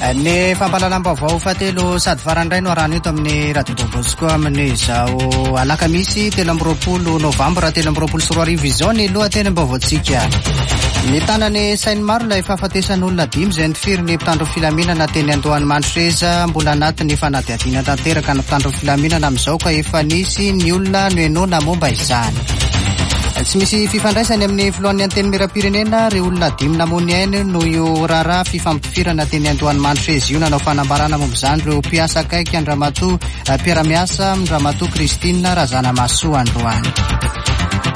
Ny fampahalalam-baovao fahatelo sady farany indray no arahana eto amin'ny Radio Don Bosco amin'izao alakamisy 23 novambra 2023 izao ny lohatenim-baovaontsika. Mitana ny sain'ny maro ilay fahafatesan'olona dimy izay nifiry ny mpitandro filaminana teny Andohanimandroseza. Mbola anatin'ny fanadihadiana tanteraka ny mpitandro filaminana amin'izao ka efa nisy ny olona nohenoina momba izany. Tsy misy fifandraisany amin'ny filohan'ny Antenimierampirenena ireo olona dimy namoy ny ainy noho io raharaha fifampitifirana teny Andohanimandroseza io. Nanao fanambarana momba izany ireo mpiasa akaiky an-dRamatoa mpiara-miasa amin-dRamatoa Christine Razanamahasoa androany.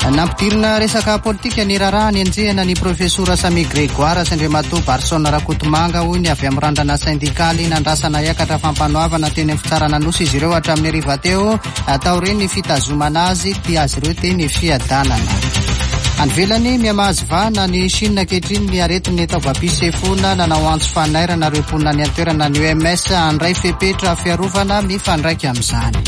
Nampidirina resaka politika ny raharaha nenjehina ny Profesora Samia Grégoire sy Andriamatoa Barson Rakotomanga, hoy ny avy amin'ny randrana sendikaly. Nandrasana hiakatra fampanoavana teny amin'ny fitsarana Anosy izy ireo hatramin'ny hariva teo. Taorian'ny fitazomana azy tia azy ireo teny Fiadanana. Any ivelany, mihamahazo vahana any Chine ankehitriny ny aretin'ny taovam-pisefoana. Nanao antso fanairana ireo mponina any an-toerana ny OMS handray fepetra fiarovana mifandraika amin'izany.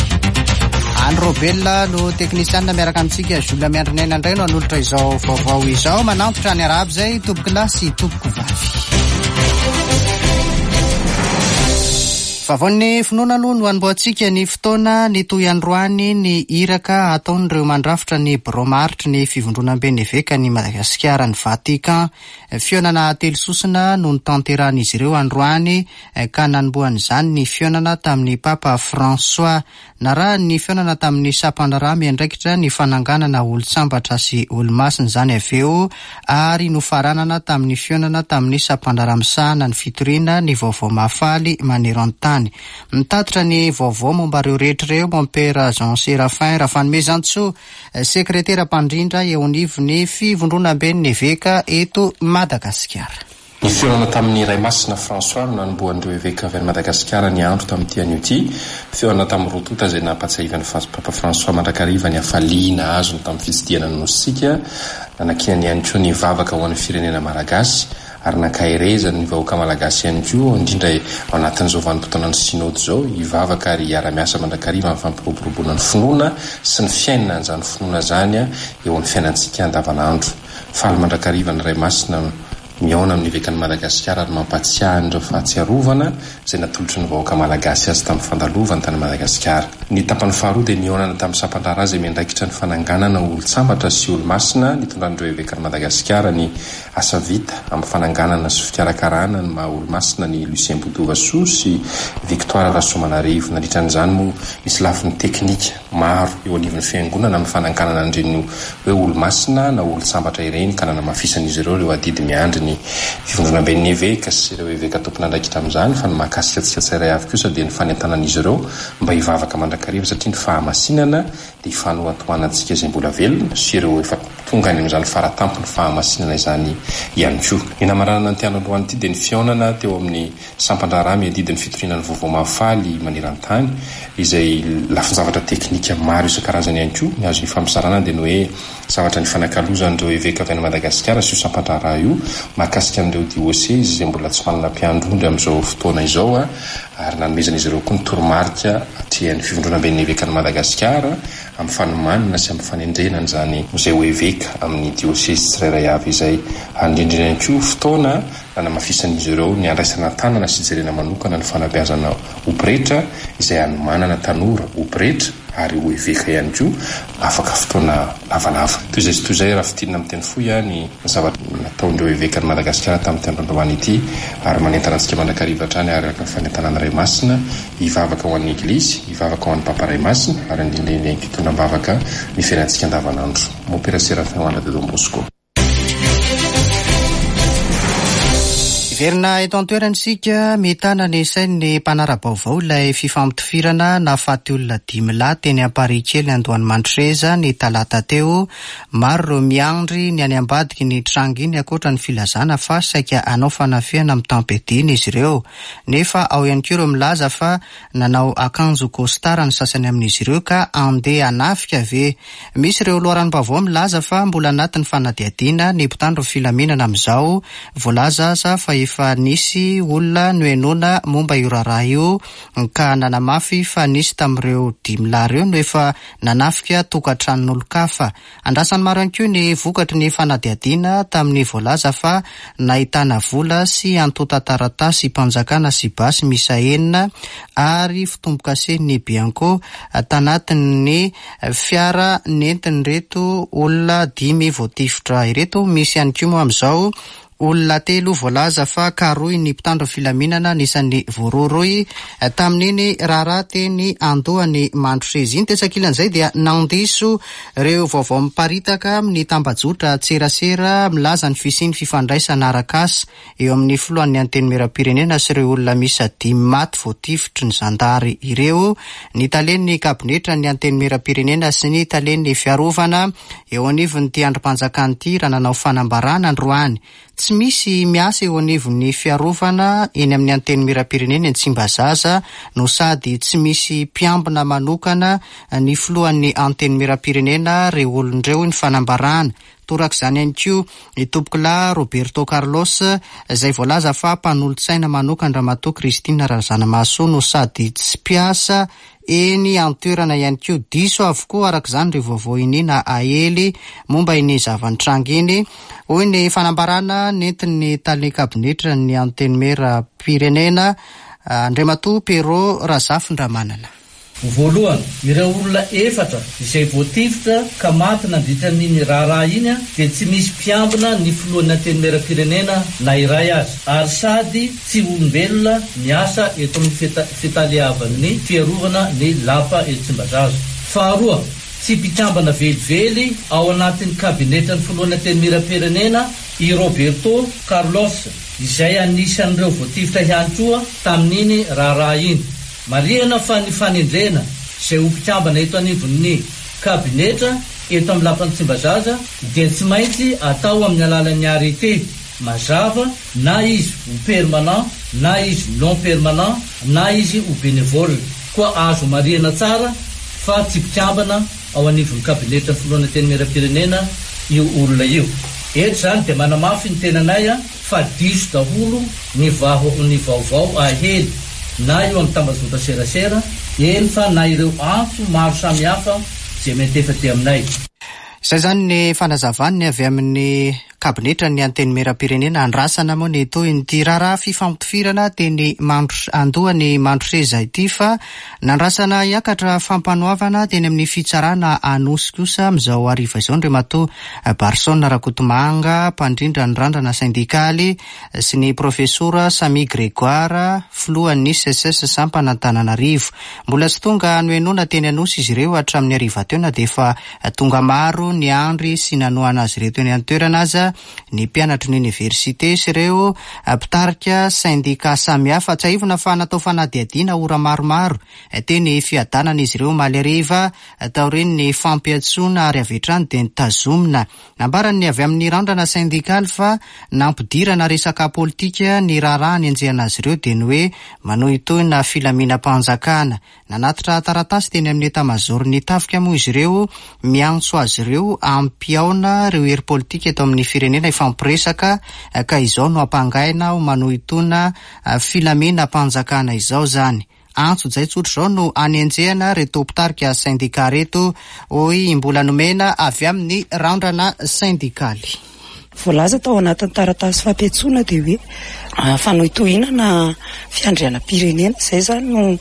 Any Robel no teknisianina miaraka amintsika, Jules Miandrinaina indray no hanolotra izao vaovao izao. Manantitra ny arahaba izay tompokolahy sy tompokovavy. Vaovaon'ny finoana aloha no hanombohantsika ny fotoana. Nitohy androany ny iraka ataon'ireo mandrafitra ny birao maharitry ny Fivondronamben'ny Evekan'i Madagasikara any Vatican. Fihaonana telososona no notanterahan'izy ireo androany ka nanombohan'izany ny fihaonana tamin'ny Papa François. Narahany ny fihaonana tamin'ny sampandraharaha miandraikitra ny fananganana olon-tsambatra sy olo-masina izany avy eo ary nofaranana tamin'ny fihaonana tamin'ny sampandraharaha misahana ny fitoriana ny vaovao mahafaly maneran-tany. Mitatitra ny vaovao momba ireo rehetra ireo Mompera Jean Séraphin Rafanomezantsoa, sekretera mpandrindra eo anivon'ny Fivondronamben'ny Eveka eto Madagasikara. Ny fihaonana tamin'ny Ray Masina François no nanombohan'ireo eveka avy any Madagasikara ny andro tamin'ity anio ity. Fihaonana tamin'ny roa tonta izay nampatsiahivan'ny Papa François mandrakariva ny hafaliana azony tamin'ny fitsidihana ny Nosintsika, nanakiany ihany koa ny vavaka ho an'ny firenena malagasy ary nankaherezany ny vahoaka malagasy ihany koa, indrindra ao anatin'izao vanim-potoanan'ny Synoda izao, hivavaka ary hiara-miasa mandrakariva amin'ny fampiroboroboana ny finoana sy ny fiainana an'izany finoana izany eo amin'ny fiainantsika andavanandro. Faly mandrakariva ny Ray Masina mihaona amin'ny Evekan'i Madagasikara ary mampahatsiahy an'ireo fahatsiarovana izay natolotry ny vahoaka malagasy azy tamin'ny fandalovany tany Madagasikara. Ny tapany faharoa dia nihaonana tamin'ny sampan-draharaha izay miandraikitra ny fananganana olon-tsambatra sy olo-masina nitondran'ireo Evekan'i Madagasikara ny asa vita amin'ny fananganana sy fikarakarana ny maha olo-masina an'i Lucien Botovasoa sy Victoire Rasoamanarivo. Nandritra an'izany moa nisy lafiny teknika maro eo anivon'ny Fiangonana amin'ny fananganana an'ireny hoe olo-masina na olon-tsambatra ireny ka nanamafisan'izy ireo ireo adidy miandry ny Fivondronamben'ny Eveka sy ireo Eveka tompon'andraikitra amin'izany fa ny mahakasika antsika tsirairay avy kosa dia ny fanentanan'izy ireo mba hivavaka mandrakariva satria ny fahamasinana dia ifanohatohanantsika izay mbola velona sy ireo efa tonga any amin'izany faratampon'ny fahamasinana izany ihany koa. Ny namaranana an'ity andro androany ity dia ny fihaonana teo amin'ny Sampan-draharaha miadidy ny fitoriana ny vaovao mahafaly maneran-tany, izay lafin-javatra teknika maro isan-karazany ihany koa. Ny azo ifampizarana dia ny hoe zavatra nifanakalozan'ireo eveka avy any Madagasikara sy io sampan-draharaha io mahakasika an'ireo diosezy izay mbola tsy manana mpiandry ondry amin'izao fotoana izao ary nanomezan'izy ireo koa ny toromarika atrehan'ny Fivondronamben'ny Evekan'i Madagasikara amin'ny fanomanana sy amin'ny fanendrena an'izany izay ho eveka amin'ny diosezy tsirairay avy izay. Ary indrindra ihany koa fotoana Nanamafisan'izy ireo ny handraisana an-tanana sy hijerena manokana ny fanabeazana ho pretra izay hanomanana tanora ho pretra ary ho eveka ihany koa afaka fotoana lavalava. Toy izay sy toy izay raha fintinina amin'ny teny fohy ny zavatra nataon'ireo evekan'i Madagasikara tamin'ity andro androany ity ary manentana antsika mandrakariva hatrany araka ny fanentanan'ny Ray Masina hivavaka ho an'ny Eglizy, hivavaka ho an'ny Papa Ray Masina ary andinindray indray hitondra am-bavaka ny fiainantsika andavanandro. Mompera Séraphin Juan de Don Bosco. Hiverina eto an-toerana isika, mitana ny sain'ny mpanara-baovao ilay fifampitifirana nahafaty olona dimy lahy teny Amparihikely Andohanimandroseza ny talata teo. Maro ireo miandry ny any ambadiky ny tranga iny ankoatra ny filazana fa saika hanao fanafihana mitam-piadiana izy ireo. Nefa ao ihany koa ireo milaza fa Nanao akanjo costard ny sasany amin'izy ireo ka andeha hanafika ve? Misy ireo loharanom-baovao milaza fa mbola anatin'ny fanadihadiana ny mpitandro ny filaminana amin'izao. Voalaza aza fa efa. efa nisy olona nohenoina momba io raharaha io ka nanamafy fa nisy tamin'ireo dimy lahy ireo no efa nanafika tokantranon'olon-kafa. Andrasan'ny maro ihany koa ny vokatry ny fanadihadiana tamin'ny voalaza fa nahitana vola sy antontan-taratasim-panjakana sy basy miisa enina ary fitombokasen'ny Bianco tanatin'ny fiara nentin'ireto olona dimy voatifitra ireto. Misy ihany koa moa amin'izao olona telo voalaza fa karohin'ny mpitandro filaminana anisan'ny voarohirohy tamin'iny raharaha teny Andohan'i Mandroseza iny. Tetsy ankilan'izay dia nandiso ireo vaovao miparitaka amin'ny tambajotra tserasera milaza ny fisian'ny fifandraisana arak'asa eo amin'ny filohan'ny Antenimierampirenena sy ireo olona miisa dimy maty voatifitry ny zandary ireo, ny talen'ny kabinetran'ny Antenimierampirenena sy ny talen'ny fiarovana eo anivon'ity andrim-panjakana ity raha nanao fanambarana androany. Tsy misy miasa eo anivon'ny fiarovana eny amin'ny Antenimierampirenena eny Tsimbazaza no sady tsy misy mpiambina manokana ny filohan'ny Antenimierampirenena ireo olona ireo, hoy ny fanambarana. Torak'izany ihany koa i Tompokolahy Roberto Carlos izay voalaza fa mpanolotsaina manokan-dRamatoa Christine Razanamahasoa no sady tsy mpiasa eny an-toerana ihany koa. Diso avokoa araka izany ireo vaovao iniana aely momba iny zava-nitranga iny, hoy ny fanambarana nentin'ny tale kabinetran'ny Antenimierampirenena, Andriamatoa Pierrot Razafindramanana. Voalohany, ireo olona efatra izay voatifitra ka maty nandritra an'iny raharaha iny dia tsy misy mpiambina ny filohan'ny Antenimierampirenena na iray aza, ary sady tsy olombelona miasa eto amin'ny fitaleavan'ny fiarovana ny lapa eto Tsimbazaza. Faharoa, tsy mpikambana velively ao anatin'ny kabinetran'ny filohan'ny Antenimierampirenena i Roberto Carlos, izay anisan'ireo voatifitra ihany koa tamin'iny raharaha iny. Marihana fa ny fanendrena izay ho mpikambana eto anivon'ny kabinetra eto amin'ny lapan'i Tsimbazaza dia tsy maintsy atao amin'ny alalan'ny arrêté mazava na izy ho permanent na izy non permanent na izy ho bénévole. Koa azo marihana tsara fa tsy mpikambana ao anivon'ny kabinetran'ny filohan'ny Antenimierampirenena io olona io. Eto izany dia manamafy ny tenanay fa diso daholo ny vaho ny vaovao ahely na eo amin'ny tambazotra serasera, eny fa na ireo antso maro samihafa izay miantefa aty aminay. Izay izany ny fanazavan'ny avy amin'ny kabinetran'ny Antenimierampirenena. Andrasana moa ny tohin'ity raharaha fifampitifirana teny Mandro Andohan'i Mandroseza ity fa nandrasana hiakatra fampanoavana teny amin'ny fitsarana Anosy kosa amin'izao hariva izao Andriamatoa Barson Rakotomanga, mpandrindra ny randrana sendikaly, sy ny Profesora Sammy Grégoire, filohan'ny Seces sampana Antananarivo. Mbola tsy tonga nohenoina teny Anosy izy ireo hatramin'ny hariva teo na dia efa tonga maro niandry sy nanohana azy ireo teny an-toerana aza ny mpianatry ny oniversite sy ireo mpitarika sendika samihafa. Tsiahivina fa natao fanadihadiana ora maromaro teny Fiadanana izy ireo omaly hariva taorian'ny fampiantsoana ary avy hatrany dia notazomina. Nambaran'ny avy amin'ny randrana sendikaly fa nampidirana resaka politika ny raharaha hanenjehana azy ireo dia ny hoe manohintohina filaminam-panjakana. Nanatitra taratasy teny amin'ny etamazaoron'ny tafika moa izy ireo miantso azy ireo hampihaona ireo hery politika eto amin'ny firenena hifampiresaka ka izao no ampangaina ho manohintohina filaminam-panjakana izao izany. Antsojay tsotra izao no anenjehana ireto mpitarika sendika ireto, hoy i Mbola Nomena avy amin'ny Randrana Sendikaly. Voalaza tao anatin'ny taratasy fampiantsoana dia hoe fanohitohinana fiandrianam-pirenena, izay izany no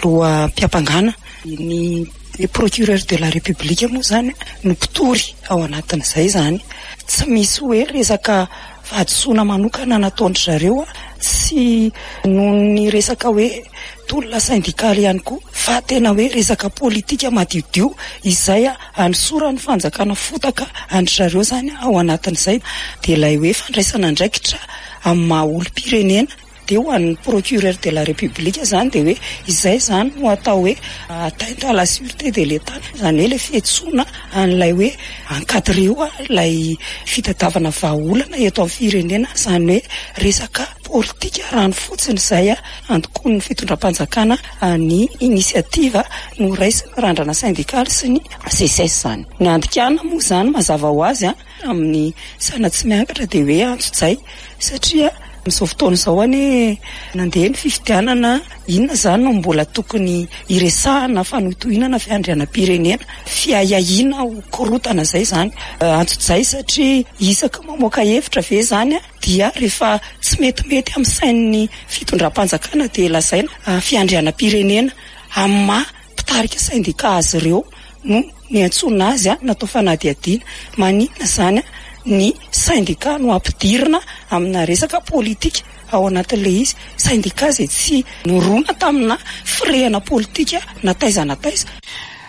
loham-piampangana. Ny procureur de la République moa izany no mpitory ao anatin'izay izany. Tsy misy hoe resaka Fahadisoana manokana nataon-dry zareo tsy noho ny resaka hoe tolona sendikaly ihany koa fa tena hoe resaka politika madiodio izay anosoran'ny fanjakana fotaka an-dry zareo izany ao anatin'izay dia ilay hoe fandraisana andraikitra amin'ny maha olom-pirenena. Dia ho an'ny procureur de la République izany dia hoe izay izany no atao hoe atteinte à la sûreté de l'Etat, izany hoe ilay fiantsoana an'ilay hoe encadrer-o ilay fitadiavana vahaolana eto amin'ny firenena, izany hoe resaka politika rano fotsiny izay antokoan'ny fitondram-panjakana ny initiative noraisin'ny randrana syndikaly sy ny SECES izany. Ny andikana moa izany mazava ho azy. Amin'ny saina tsy miangatra dia hoe antsojay satria. Amin'izao fotoana izao anie nandeha ny fifidianana, inona izany no mbola tokony hiresahana fanohitohinana fiandrianam-pirenena, fiahiahiana ho korontana izay izany. Antsojay satria isaky mamoaka hevitra ve izany dia rehefa tsy metimety amin'ny sain'ny fitondram-panjakana dia lazaina fiandrianam-pirenena amin'ny maha mpitarika sendika azy ireo no niantsoana azy natao fanadihadiana. Maninona izany ny sendika no ampidirina amina resaka politika ao anatin'ilay izy? Sendika izay tsy nirona tamina firehana politika na taiza na taiza.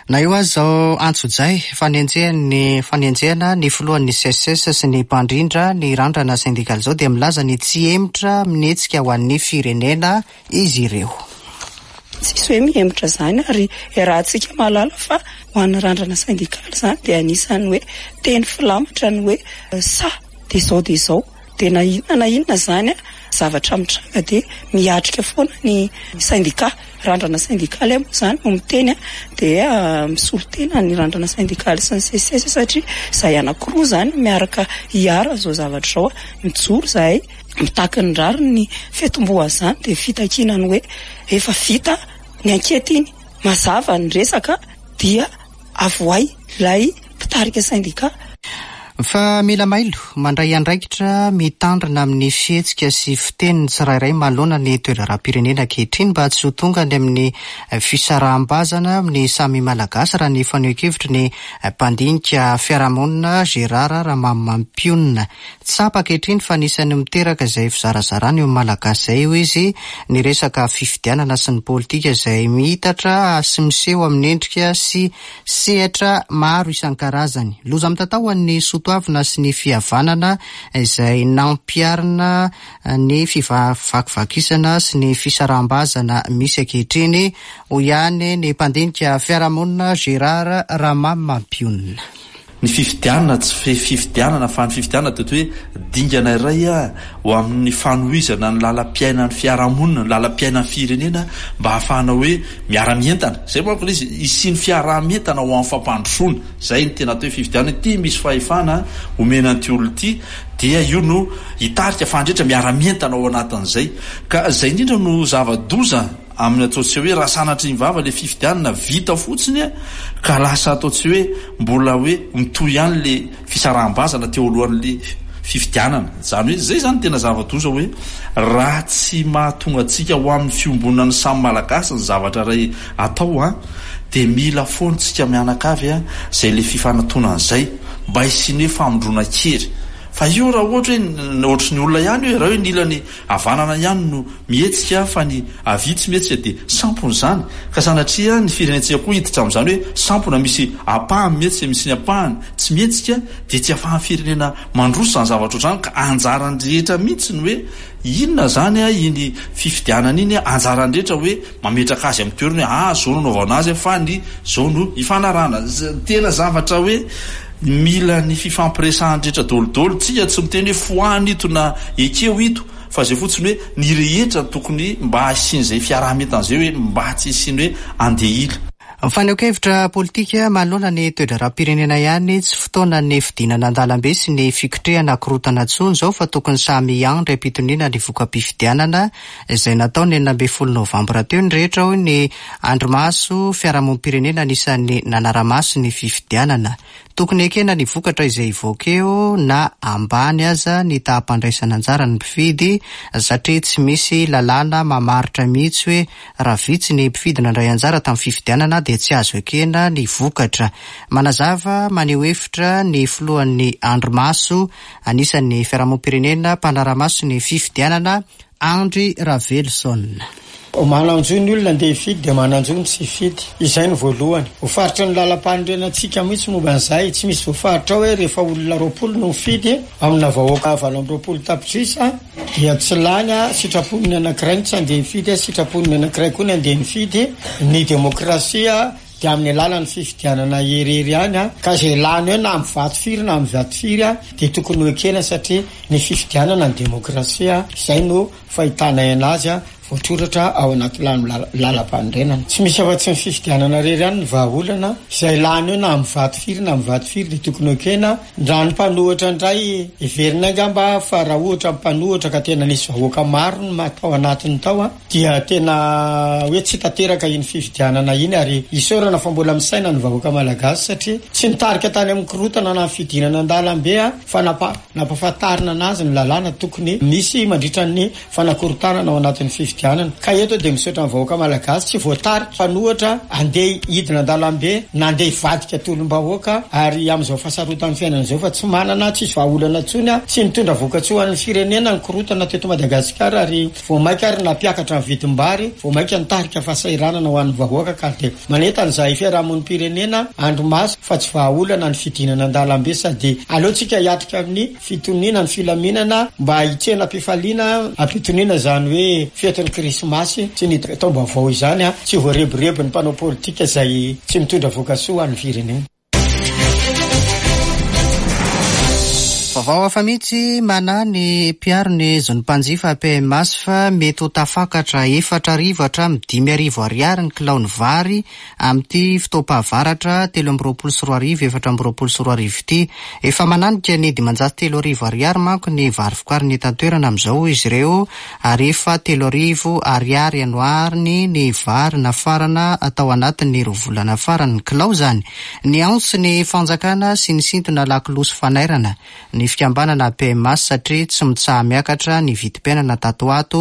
Na eo aza izao antsojay fanenjehan'ny fanenjehana ny filohan'ny Seces sy ny mpandrindra ny randrana sendikaly izao dia milaza ny tsy hihemotra amin'ny hetsika ho an'ny firenena izy ireo. Tsisy hoe mihemotra izany ary iarahantsika mahalala fa ho an'ny randrana sendikaly izany dia anisan'ny hoe teny filamatra ny hoe sahy dia izao dia izao dia na inona na inona izany zavatra mitranga dia miatrika foana ny sendika. Randrana sendikaly aho moa izany no miteny dia misolo tena ny randrana sendikaly sy ny seces satria izahay anankiroa izany miaraka hiara izao zavatra izao. Mijoro izahay mitaky ny rariny ny fiatombohan'izany dia fitakiana ny hoe efa vita ny ankety iny, mazava ny resaka dia avohay ilay mpitarika sendika. Fa mila mailo, mandray andraikitra, mitandrina amin'ny fihetsika sy fiteniny tsirairay manoloana ny toe-draharaham-pirenena ankehitriny mba tsy ho tonga any amin'ny fisaraham-bazana amin'ny samy Malagasy raha ny fanehoan-kevitry ny mpandinika fiarahamonina Gérard Ramamimampionona. Tsapa ankehitriny fa anisan'ny miteraka izay fizarazarana eo amin'ny Malagasy izay, hoy izy, ny resaka fifidianana sy ny politika izay miitatra sy miseho amin'ny endrika sy sehatra maro isan-karazany. Loza mitatao ho an'ny soatoavina sy ny fihavanana izay nampiharina ny fivakivakisana sy ny fisaraham-bazana misy ankehitriny, hoy ihany ny mpandinika fiarahamonina Gérard Ramamimampionona. Ny fifidianana tsy fifidianana fa ny fifidianana dia toy hoe dingana iray ho amin'ny fanohizana ny lalam-piainan'ny fiarahamonina, ny lalam-piainan'ny firenena mba hahafahana hoe miara-mientana. Izay manko ilay izy, hisian'ny fiaraha-mientana ho amin'ny fampandrosoana. Izay no tena atao hoe fifidianana. Ity misy fahefana omena an'ity olona ity dia io no hitarika fa ny rehetra miara-mientana ao anatin'izay. Ka izay indrindra no zava-doza. Amin'ny ataontsika hoe raha sanatria ny vava le fifidianana vita fotsiny ka lasa ataontsika hoe mbola hoe mitohy ihany le fisaraham-bazana teo alohan'le fifidianana. Izany hoe izay izany tena zava-doza hoe raha tsy mahatonga antsika ho amin'ny fiombonan'ny samy Malagasy ny zavatra iray atao an, dia mila foana tsika mianakavy an izay le fifanatonana izay mba hisian'ny hoe famondronan-kery. Fa io raha ohatra hoe ohatry ny olona ihany io e, raha hoe ny ilany havanana ihany no mihetsika fa ny havia tsy mihetsika dia sampona izany ka sanatria ny firenentsika koa hiditra amin'izany hoe sampona misy ampahany mihetsika misy ny ampahany tsy mihetsika dia tsy afahan'ny firenena mandroso izany zavatra ohatr'izany ka anjaran'ny rehetra mihitsy ny hoe inona izany iny fifidianana iny anjaran'ny rehetra hoe mametraka azy amin'ny toerany hoe ah zao no anaovana azy fa ny zao no ifanarahana tena zavatra hoe mila ny fifampiresahan'ny rehetra daholo tsika tsy miteny hoe foano ito na ekeo ito fa zay fotsiny hoe ny rehetra tokony mba hisian'izay fiaraha-mientana zay hoe mba tsy hisian'ny hoe andeha hila. Fanehoan-kevitra politika manoloana ny toe-draharaham-pirenena ihany, tsy fotoanan'ny fidinana an-dalambe sy ny fikotrehana korontana intsony izao fa tokony samy hiandry am-pitoniana ny voka-pifidianana izay natao ny 16 novambra teo ny rehetra hoy ny andrimaso fiarahamonim-pirenena anisan'ny nanara-maso ny fifidianana. Tokony ekena ny vokatra izay hivoaka eo na ambany aza ny taham-pandraisana anjara ny mpifidy satria tsy misy lalàna mamaritra mihitsy hoe raha vitsy ny mpifidy nandray anjara tamin'ny fifidianana dia tsy azo ekena ny vokatra. Manazava maneho hevitra ny filohan'ny Andrimaso anisan'ny fiarahamonim-pirenena mpanara-maso ny fifidianana Andry Raveloson. Manan-jo ny olona andeha hifidy dia manan-jo ny tsy hifidy. Izay no voalohany. Voafaritry ny lalam-panorenantsika mihitsy momba an'izay. Tsy misy voafaritra ao hoe rehefa olona 20 no mifidy amina vahoaka 28 tapitrisa dia tsy lany, sitrapon'ny anankiray ny tsy handeha hifidy, sitrapon'ny anankiray koa ny handeha nifidy. Ny demokrasia dia amin'ny alalan'ny fifidianana irery ihany ka izay lany eo na amin'ny vato firy na amin'ny vato firy dia tokony ho ekena satria ny fifidianana ny demokrasia. Izay no fahitanay anazy. voatoratra ao anaty lalam-panorenana. Tsy misy afa-tsy ny fifidianana irery ihany ny vahaolana, izay lany eo na amin'ny vato firy na amin'ny vato firy dia tokony ho ekena. Raha ny mpanohitra indray, heverinay angamba fa raha ohatra ny mpanohitra ka tena nisy vahoaka maro no tao anatiny tao dia tena hoe tsy tanteraka iny fifidianana iny ary isaorana fa mbola misaina ny vahoaka malagasy satria tsy nitarika tany amin'ny korontana na ny fidinana an-dalambe fa nampahafantarina anazy ny lalàna tokony misy mandritra ny fanakorontanana ao anatin'ny fifidianana. Ka eto dia misaotra ny vahoaka malagasy tsy voatarika mpanohatra andeha hidina an-dalambe na andeha hivadika tolom-bahoaka ary amin'izao fahasarotan'ny fiainana izao fa tsy manana tsisy vahaolana intsony tsy nitondra vokatsoa ho an'ny firenena ny korontana teto Madagasikara ary vao mainka ary nampiakatra ny vidim-bary vao mainka nitarika fahasahiranana ho an'ny vahoaka ka dia manentana izahay fiarahamonim-pirenena andro maso fa tsy vahaolana ny fidinana an-dalambe sady aleontsika hiatrika amin'ny fitoniana ny filaminana mba hitsena am-pifaliana am-pitoniana izany hoe fetin'ny krismasy sy ny taom-baovao izany tsy voarebirebin'ny mpanao politika izay tsy mitondra vokasoa ho an'ny firenena. Vaovao hafa mihitsy, manahy ny mpiaro ny zon'ny mpanjifa PMAS fa mety ho tafakatra 4000 hatramin'ny 5000 ariary ny kilaon'ny vary amin'ity fotoam-pahavaratra 2023 2024 ity. Efa mananika ny 3500 ariary manko ny vary vokarina eto an-toerana amin'izao hoy izy ireo ary efa 3000 ariary anoariny ny vary nafarana tao anatin'ny roa volana farany ny kilao izany. Niantso ny fanjakana sy nisintona lakolosy fanairana ny fikambanana PMAS satria tsy mitsaha-miakatra ny vidim-piainana tato ho ato,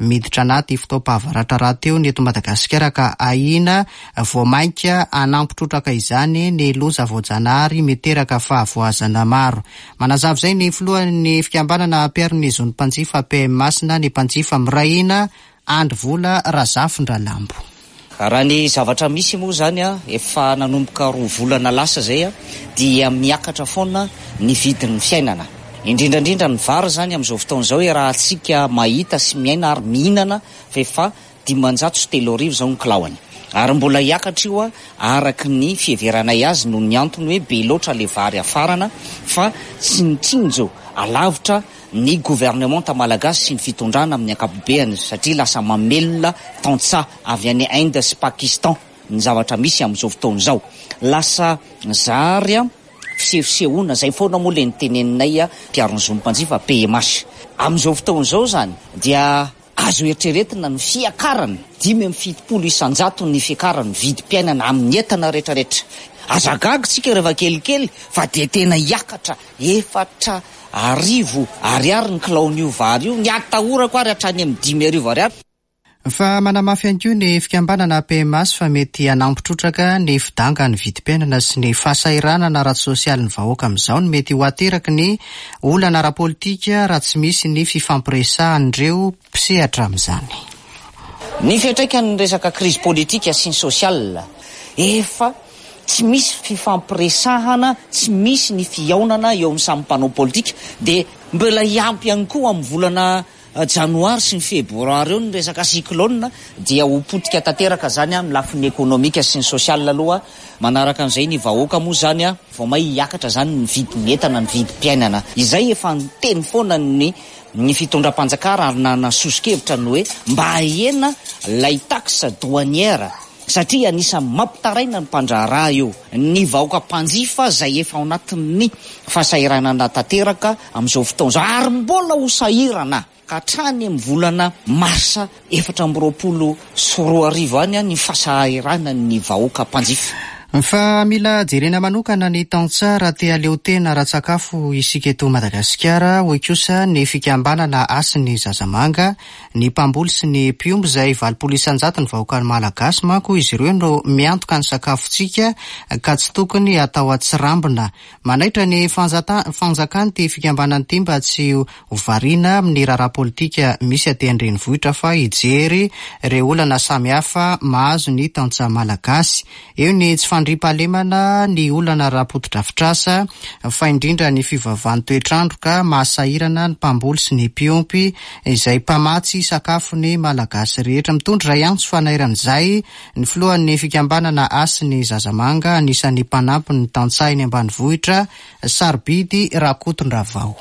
miditra anaty fotoam-pahavaratra rahateo ny eto Madagasikara ka ahiana vao mainka hanampy trotraka izany ny loza voajanahary miteraka fahavoazana maro. Manazava izay ny filohan'ny fikambanana mpiaro ny zon'ny mpanjifa PMAS na ny mpanjifa miray hina Andry Vola Razafindralambo. Raha ny zavatra misy moa izany, efa nanomboka roa volana lasa izay dia miakatra foana ny vidin'ny fiainana. Indrindra indrindra ny vary izany amin'izao fotoana izao iarahantsika mahita sy miaina ary mihinana fa efa 3500 izao ny kilaoany. Ary mbola hiakatra io araka ny fiheveranay azy noho ny antony hoe be loatra ilay vary hafarana fa tsy nitsinjo alavitra ny governemanta malagasy sy ny fitondrana amin'ny ankapobeany satria lasa mamelona tantsaha avy any Inde sy Pakistan ny zavatra misy amin'izao fotoana izao. Lasa zary fisehosehoana, izay foana moa ilay noteneninay mpiaro ny zon'ny mpanjifa, PMH. Amin'izao fotoana izao izany dia Azo eritreretina ny fiakarana 75 isan-jato ny fiakaran'ny vidim-piainana amin'ny entana rehetrarehetra. Aza gaga isika rehefa kelikely fa dia tena hiakatra 4000 ariary ny kilaon'io vary io, ny atahorako ary hatrany amin'ny 5000 ariary. Fa manamafy ihany koa ny fikambanana PMAS fa mety hanampy trotraka ny fidangan'ny vidim-piainana sy ny fahasahiranana ara-tsosialin'ny vahoaka amin'izao ny mety ho ateraky ny Olana ara-politika raha tsy misy ny fifampiresahan'ireo mpisehatra amin'izany. Ny fiantraikan'ny resaka krizy politika sy ny social, efa tsy misy fifampiresahana, tsy misy ny fihaonana eo amin'ny samy mpanao politika, dia mbola hiampy ihany koa amin'ny volana janoary sy ny febroary eo ny resaka cyclone dia ho potika tanteraka zany amin'ny lafiny ekonomika sy ny social aloha, manaraka an'izay ny vahoaka moa zany vao may hiakatra zany ny vidin'ny entana, ny vidim-piainana, izay efa niteny foana ny ny fitondram-panjakana ary nanana soso-kevitra ny hoe mba ahena lay taxe douanière satria anisan'ny mampitaraina ny mpandraharaha io, ny vahoaka mpanjifa izay efa ao anatin'ny fahasahiranana tanteraka amin'izao fotoana izao ary mbola ho sahirana ka hatrany amin'ny volana marsa 2024 any ny fahasahiranan'ny vahoaka mpanjifa. Fa mila jerena manokana ny tantsaha raha te haleo tena ara-tsakafo isika eto Madagasikara, hoy kosa ny fikambanana Hasin'ny Zazamanga. Ny mpamboly sy ny mpiompy izay 80% ny vahoaka malagasy manko izy ireo no miantoka ny sakafontsika ka tsy tokony hatao atsirambina. Manaitra ny fanjakana ity fikambanana ity mba tsy ho variana amin'ny raharaha politika misy aty an-drenivohitra fa hijery ireo olana samihafa mahazo ny tantsaha malagasy. Eo ny tsy fandriampahalemana, ny olana ara-potodrafitrasa, fa indrindra ny fivavahan'ny toetr'andro ka mahasahirana ny mpamboly sy ny mpiompy izay mpamatsy sakafo ny Malagasy rehetra. Mitondra izay antso fanairana izay ny filohan'ny fikambanana Hasin'ny Zazamanga, anisan'ny mpanampy ny tantsaha eny ambanivohitra, Sarobidy Rakotondravao.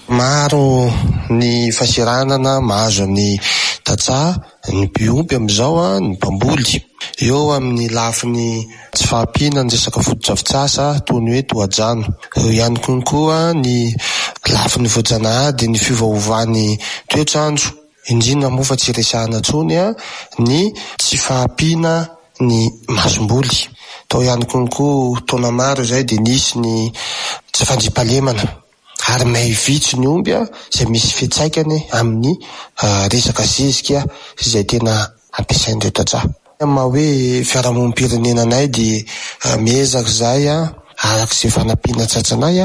Maro ny fahasahiranana mahazo ny. tantsaha, ny mpiompy amin'izao, ny mpamboly. Eo amin'ny lafiny tsy fahampiana ny resaka fotodrafitrasa toy ny hoe tohadrano. Eo ihany koa ny lafiny voajanahary dia ny fiovaovan'ny toetr'andro, indrindra moa fa tsy resahana intsony ny tsy fahampiana ny masomboly. Tao ihany koa taona maro izay dia nisy ny tsy fandriampahalemana ary may vitsy ny omby izay misy fiantraikany amin'ny resaka zezika izay tena ampiasain'ireo tantsaha. Amin'ny maha hoe fiarahamonim-pirenena anay dia miezaka izahay araka izay fanampiana tratranay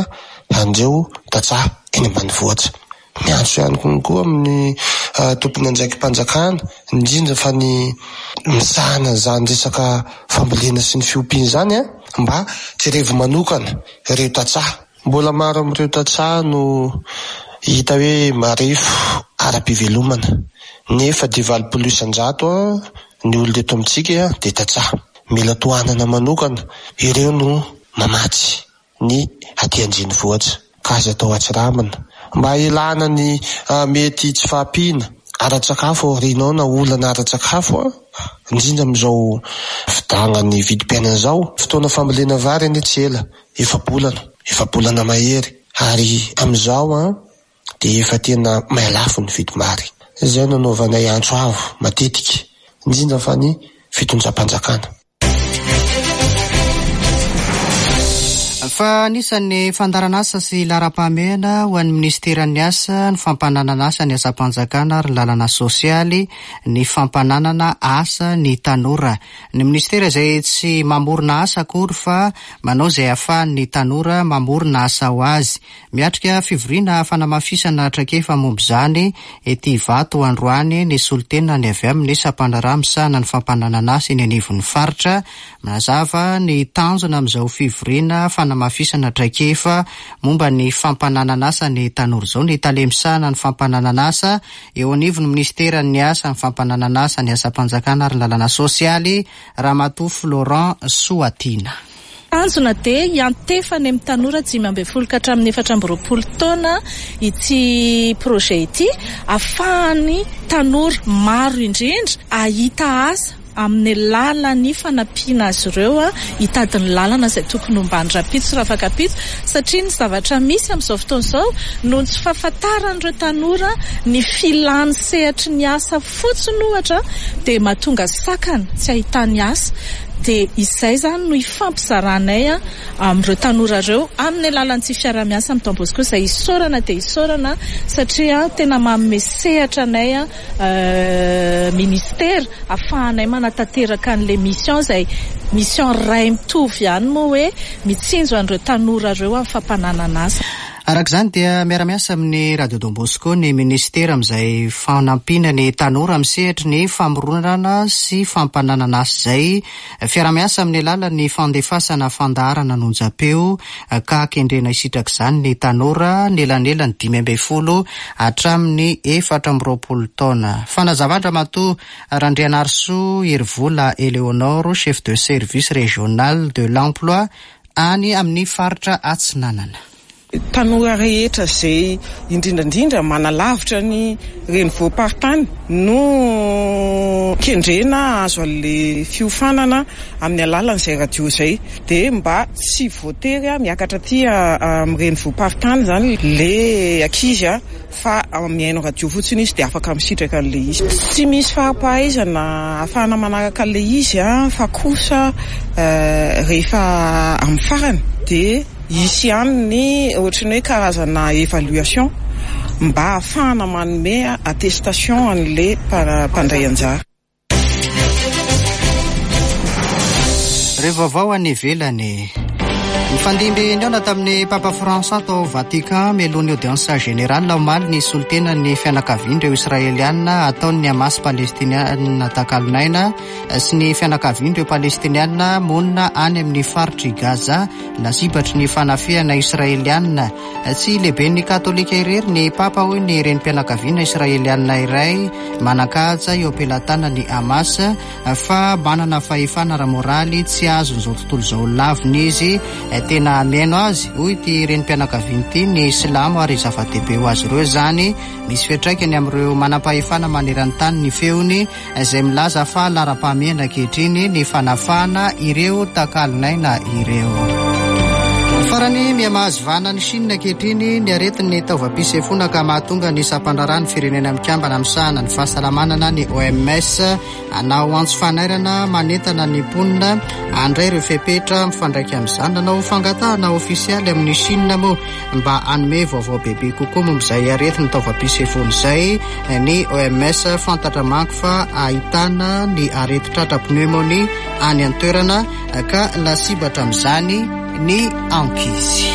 an'ireo tantsaha eny ambanivohitra. Miantso ihany koa amin'ny tompon'andraiki-panjakana, indrindra fa ny misahana an'izany resaka fambolena sy ny fiompiana izany mba jerevo manokana ireo tantsaha. Mbola maro amin'ireo tantsaha no hita hoe marefo ara-pivelomana, nefa dia 80% ny olona eto amintsika dia tantsaha. Mila tohanana manokana, ireo no mamatsy ny aty an-drenivohitra ka aza atao atsirambina. Mba hialana ny mety tsy fahampiana ara-tsakafo aoriana ao na olana ara-tsakafo, indrindra amin'izao fidangan'ny vidim-piainana izao. Fotoana fambolena vary anie tsy ela, efa-bolana, efa-bolana mahery, ary amin'izao an, dia efa tena mihalafo ny vidim-bary. Izay no anaovanay antso avo matetika, indrindra fa ny fitondram-panjakana. Fa anisan'ny fandaharanasa sy laharam-pahamehana ho an'ny minisiteran'ny Asa, ny fampananana asa ny asam-panjakana ary ny lalana sosialy, ny fampananana asa ny tanora. Ny minisitera izay tsy mamorona asa akory fa manao izay ahafahan'ny tanora mamorona asa ho azy. Miatrika fivoriana fanamafisana traikefa momba izany ety Ivato androany ny solontenany avy amin'ny sampandraharaha misahana ny fampananana asa eny anivon'ny faritra. Manazava ny tanjona amin'izao fivoriana fanamafisana traikefa momba ny fampananana asa ny tanora izao ny tale misahana ny fampananana asa Eo anivon'ny minisiteran'ny Asa, ny Fampananan'asa, ny Asam-panjakana ary ny Lalana Sosialy, Ramatoa Florent Soatiana. Tanjona dia hiantefa any amin'ny tanora 15 ka hatramin'ny 24 taona ity projet ity, ahafahan'ny tanora maro indrindra hahita asa amin'ny alalan'ny fanampiana azy ireo hitady ny lalana izay tokony hombany rahampitso rafakampitso satria ny zavatra misy amin'izao fotoana izao noho ny tsy fahafantaran'ireo tanora ny filan'ny sehatry ny asa fotsiny ohatra dia mahatonga sakana tsy ahitany asa dia izay izany no hifampizaranay amin'ireo tanora ireo amin'ny alalan'ity fiaraha-miasa amin'ny Don Bosco izay isaorana dia isaorana satria tena manome sehatra anay ministera afahanay manatanteraka an'ilay mission izay mission iray mitovy ihany moa hoe mitsinjo an'ireo tanora ireo amin'ny fampananana asa. Araka izany dia miara-miasa amin'ny Radio Don Bosco ny minisitera amin'izay fanampiana ny tanora amin'ny sehatry ny famoronana sy fampananana asa izay. Fiaraha-miasa amin'ny alalan'ny fandefasana fandaharana an'onjam-peo ka kendrena hisitraka izany ny tanora anelanelan'ny 15 hatramin'ny 24 taona. Fanazavan-dRamatoa Randrianarisoa Herivola Eléonore, chef de service régional de l'emploi any amin'ny faritra Atsinanana. Tanora rehetra izay indrindra indrindra manalavitra ny renivohi-paritany no kendrena hahazo an'ilay fiofanana amin'ny alalan'izay radio izay. Dia mba tsy voatery miakatra aty amin'ny renivohi-paritany izany ilay ankizy fa mihaino radio fotsiny izy dia afaka misitraka an'ilay izy. Tsy misy fari-pahaizana ahafahana manaraka an'ilay izy fa kosa rehefa amin'ny farany dia hisy ihany ny ohatran'ny hoe karazana évaluation mba ahafahana manome attestation an'ilay mpandray anjara. Ireo vaovao any ivelany. Nifandimby nihaona tamin'ny Papa François tao Vatican mialoha ny audience générale omaly ny solontenan'ny fianakavian'ireo Israeliana ataon'ny Hamas Palestiniana takalon'aina sy ny fianakavian'ireo Palestiniana monina any amin'ny faritr'i Gaza lasibatry ny fanafihana Israeliana. Tsy lehiben'ny Katolika irery ny Papa hoy ny renim-pianakaviana Israeliana iray manan-kaja eo am-pelatanan'ny Hamas fa manana fahefana ara-moraly tsy azon'izao tontolo izao lavina izy. Tena mihaino azy, hoy ity renim-pianakaviana ity, ny silamo ary zava-dehibe ho azy ireo izany. Misy fiantraikany amin'ireo manampahefana maneran-tany ny feony izay milaza fa laharam-pahamehana ankehitriny ny fanafahana ireo takalon'aina ireo. Farany, miha-mahazo vahana any Chine ankehitriny ny aretin'ny taovam-pisefoana ka mahatonga ny sampandraharahan'ny Firenena Mikambana misahana ny fahasalamana na ny OMS Hanao antso fanairana manentana ny mponina handray ireo fepetra mifandraika amin'izany. Nanao fangatahana ofisialy amin'i Chine moa mba hanome vaovao bebe kokoa momba izay aretin'ny taovam-pisefoana izay ny OMS. Fantatra manko fa ahitana ny aretin-tratra pneumonie any an-toerana ka lasibatra amin'izany ny ankizy.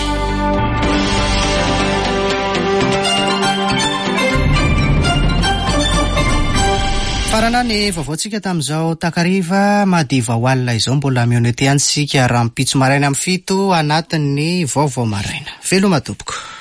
Farana ny vaovaontsika tamin'izao takariva madiva ho alina izao. Mbola mihaona eto ihany isika rahampitso maraina amin'ny 7 anatin'ny vaovao maraina. Veloma tompoko.